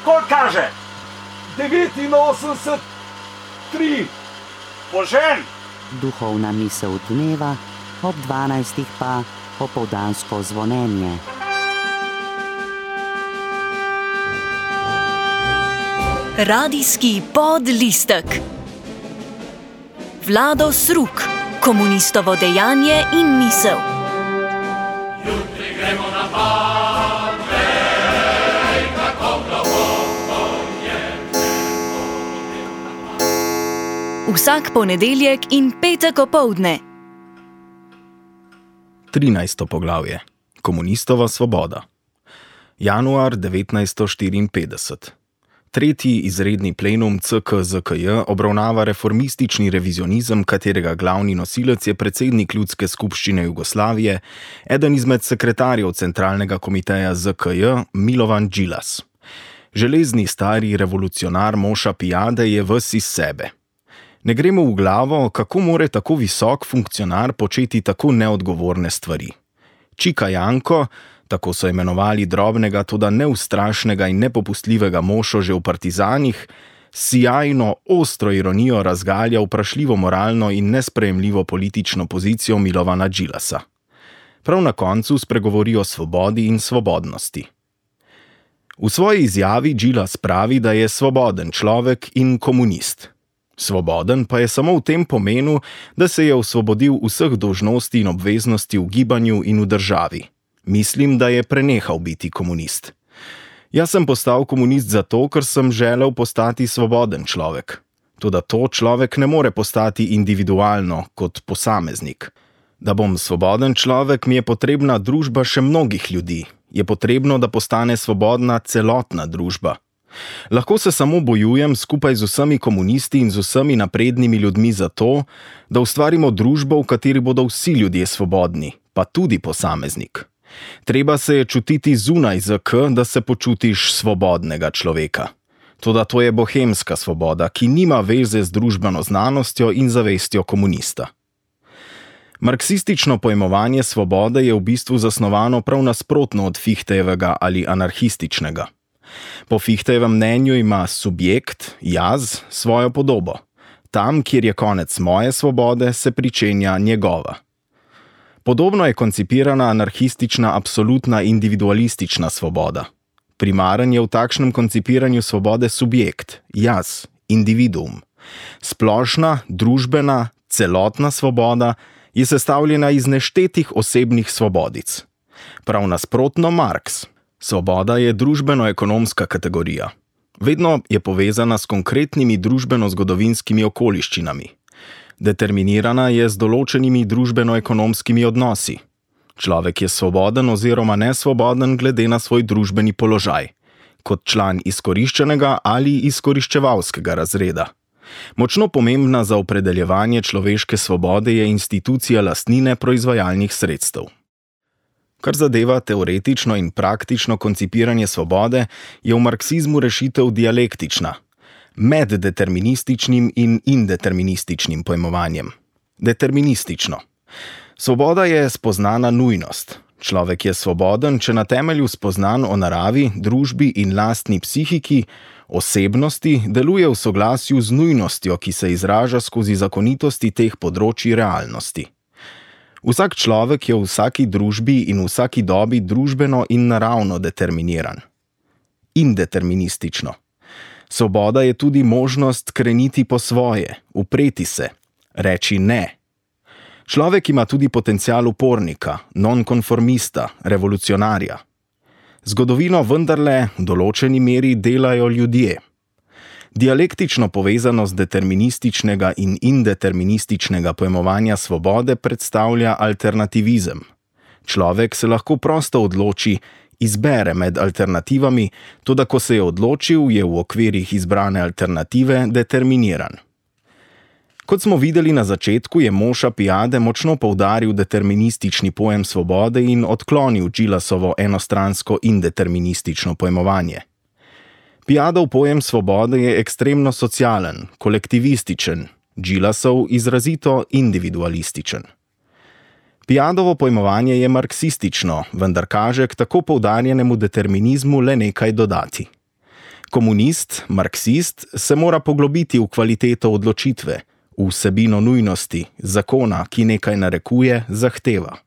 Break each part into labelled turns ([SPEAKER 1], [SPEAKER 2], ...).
[SPEAKER 1] Koliko kaže?
[SPEAKER 2] 89,3.
[SPEAKER 1] Požen!
[SPEAKER 3] Duhovna misel dneva, ob 12 pa popoldansko zvonjenje.
[SPEAKER 4] Radijski podlistek. Vlado Sruk, komunistovo dejanje in misel.
[SPEAKER 5] Jutri gremo na Parnej, kako globoko je
[SPEAKER 4] Vsak ponedeljek in petek opoldne.
[SPEAKER 6] 13. poglavje. Komunistova svoboda. Januar 1954. Tretji izredni plenum CKZKJ obravnava reformistični revizionizem, katerega glavni nosilec je predsednik Ljudske skupščine Jugoslavije, eden izmed sekretarjev Centralnega komiteja ZKJ Milovan Đilas. Železni stari revolucionar Moša Pijade je ves iz sebe. Ne gre mu v glavo, kako more tako visok funkcionar početi tako neodgovorne stvari. Čika Janko, tako so imenovali drobnega, toda neustrašnega in nepopustljivega Mošo že v partizanih, sijajno, ostro ironijo razgalja vprašljivo moralno in nesprejemljivo politično pozicijo Milovana Đilasa. Prav na koncu spregovori o svobodi in svobodnosti. V svoji izjavi Đilas pravi, da je svoboden človek in komunist. Svoboden pa je samo v tem pomenu, da se je osvobodil vseh dolžnosti in obveznosti v gibanju in v državi. Mislim, da je prenehal biti komunist. Jaz sem postal komunist zato, ker sem želel postati svoboden človek. Toda to človek ne more postati individualno, kot posameznik. Da bom svoboden človek, mi je potrebna družba še mnogih ljudi. Je potrebno, da postane svobodna celotna družba. Lahko se samo bojujem skupaj z vsemi komunisti in z vsemi naprednimi ljudmi za to, da ustvarimo družbo, v kateri bodo vsi ljudje svobodni, pa tudi posameznik. Treba se je čutiti zunaj ZK, da se počutiš svobodnega človeka. Toda to je bohemska svoboda, ki nima veze z družbeno znanostjo in zavestjo komunista. Marksistično pojmovanje svobode je v bistvu zasnovano prav nasprotno od Fichtejevega ali anarhističnega. Po Fichtejevem mnenju ima subjekt, jaz, svojo podobo. Tam, kjer je konec moje svobode, se pričenja njegova. Podobno je koncipirana anarhistična absolutna individualistična svoboda. Primaren je v takšnem koncipiranju svobode subjekt, jaz, individuum. Splošna, družbena, celotna svoboda je sestavljena iz neštetih osebnih svobodic. Prav nasprotno Marx. Svoboda je družbeno-ekonomska kategorija. Vedno je povezana s konkretnimi družbeno-zgodovinskimi okoliščinami. Determinirana je z določenimi družbeno-ekonomskimi odnosi. Človek je svoboden oziroma nesvoboden glede na svoj družbeni položaj, kot član izkoriščenega ali izkoriščevalskega razreda. Močno pomembna za opredeljevanje človeške svobode je institucija lastnine proizvajalnih sredstev. Kar zadeva teoretično in praktično koncipiranje svobode, je v marksizmu rešitev dialektična, med determinističnim in indeterminističnim pojmovanjem. Deterministično. Svoboda je spoznana nujnost. Človek je svoboden, če na temelju spoznanj o naravi, družbi in lastni psihiki, osebnosti, deluje v soglasju z nujnostjo, ki se izraža skozi zakonitosti teh področij realnosti. Vsak človek je v vsaki družbi in v vsaki dobi družbeno in naravno determiniran. Indeterministično. Svoboda je tudi možnost kreniti po svoje, upreti se, reči ne. Človek ima tudi potencial upornika, nonkonformista, revolucionarja. Zgodovino vendarle v določeni meri delajo ljudje. Dialektično povezanost determinističnega in indeterminističnega pojmovanja svobode predstavlja alternativizem. Človek se lahko prosto odloči, izbere med alternativami, toda ko se je odločil, je v okvirih izbrane alternative determiniran. Kot smo videli na začetku, je Moša Pijade močno poudaril deterministični pojem svobode in odklonil Đilasovo enostransko indeterministično pojmovanje. Pijadov pojem svobode je ekstremno socialen, kolektivističen, Đilasov izrazito individualističen. Pijadovo pojmovanje je marksistično, vendar kaže k tako poudarjenemu determinizmu le nekaj dodati. Komunist, marksist se mora poglobiti v kvaliteto odločitve, v vsebino nujnosti, zakona, ki nekaj narekuje, zahteva.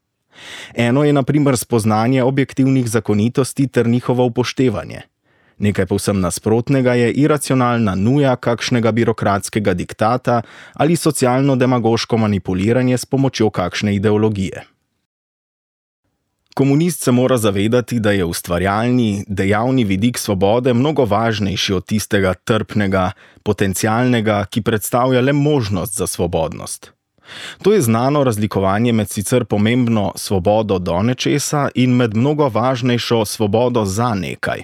[SPEAKER 6] Eno je na primer spoznanje objektivnih zakonitosti ter njihovo upoštevanje. Nekaj povsem nasprotnega je iracionalna nuja kakšnega birokratskega diktata ali socialno-demagoško manipuliranje s pomočjo kakšne ideologije. Komunist se mora zavedati, da je ustvarjalni, dejavni vidik svobode mnogo važnejši od tistega trpnega, potencialnega, ki predstavlja le možnost za svobodnost. To je znano razlikovanje med sicer pomembno svobodo do nečesa in med mnogo važnejšo svobodo za nekaj.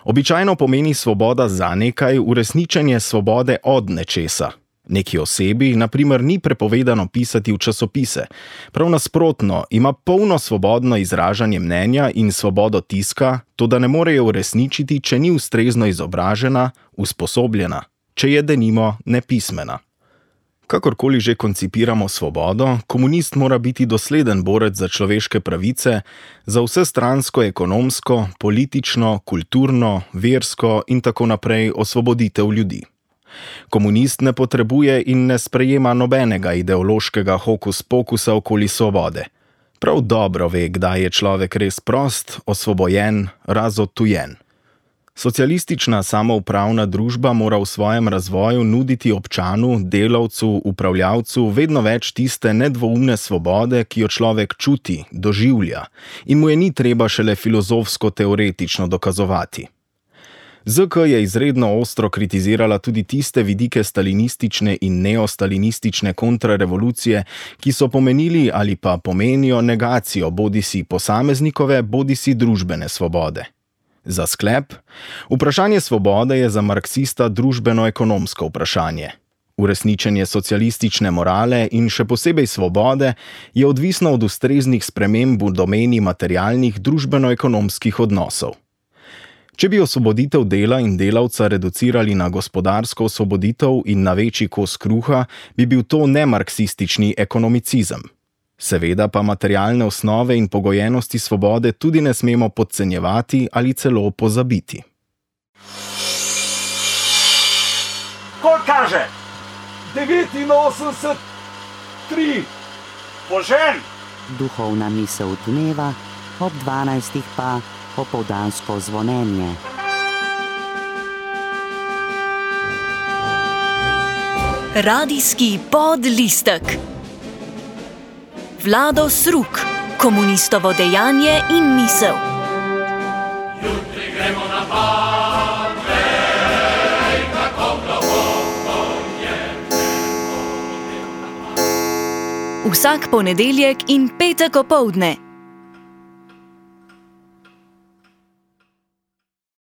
[SPEAKER 6] Običajno pomeni svoboda za nekaj uresničenje svobode od nečesa. Neki osebi, na primer, ni prepovedano pisati v časopise. Prav nasprotno, ima polno svobodno izražanje mnenja in svobodo tiska, toda ne more jo uresničiti, če ni ustrezno izobražena, usposobljena, če je denimo nepismena. Kakorkoli že koncipiramo svobodo, komunist mora biti dosleden borec za človeške pravice, za vsestransko ekonomsko, politično, kulturno, versko in tako naprej osvoboditev ljudi. Komunist ne potrebuje in ne sprejema nobenega ideološkega hokus-pokusa okoli svobode. Prav dobro ve, kdaj je človek res prost, osvobojen, razodtujen. Socialistična samoupravna družba mora v svojem razvoju nuditi občanu, delavcu, upravljavcu vedno več tiste nedvoumne svobode, ki jo človek čuti, doživlja in mu je ni treba šele filozofsko-teoretično dokazovati. ZK je izredno ostro kritizirala tudi tiste vidike stalinistične in neostalinistične kontrarevolucije, ki so pomenili ali pa pomenijo negacijo bodisi posameznikove, bodisi družbene svobode. Za sklep, vprašanje svobode je za marksista družbeno-ekonomsko vprašanje. Uresničenje socialistične morale in še posebej svobode je odvisno od ustreznih sprememb v domeni materialnih družbeno-ekonomskih odnosov. Če bi osvoboditev dela in delavca reducirali na gospodarsko osvoboditev in na večji kos kruha, bi bil to nemarksistični ekonomicizem. Seveda pa materialne osnove in pogojenosti svobode tudi ne smemo podcenjevati ali celo pozabiti.
[SPEAKER 1] Koliko kaže? 89, 3. Požen!
[SPEAKER 3] Duhovna misel dneva, ob 12. pa popoldansko zvonjenje.
[SPEAKER 4] Radijski podlistek. Vlado Sruk, komunistovo dejanje in misel.
[SPEAKER 5] Jutri gremo na pad, vej, kako globoko je nebo.
[SPEAKER 4] Vsak ponedeljek in petek opoldne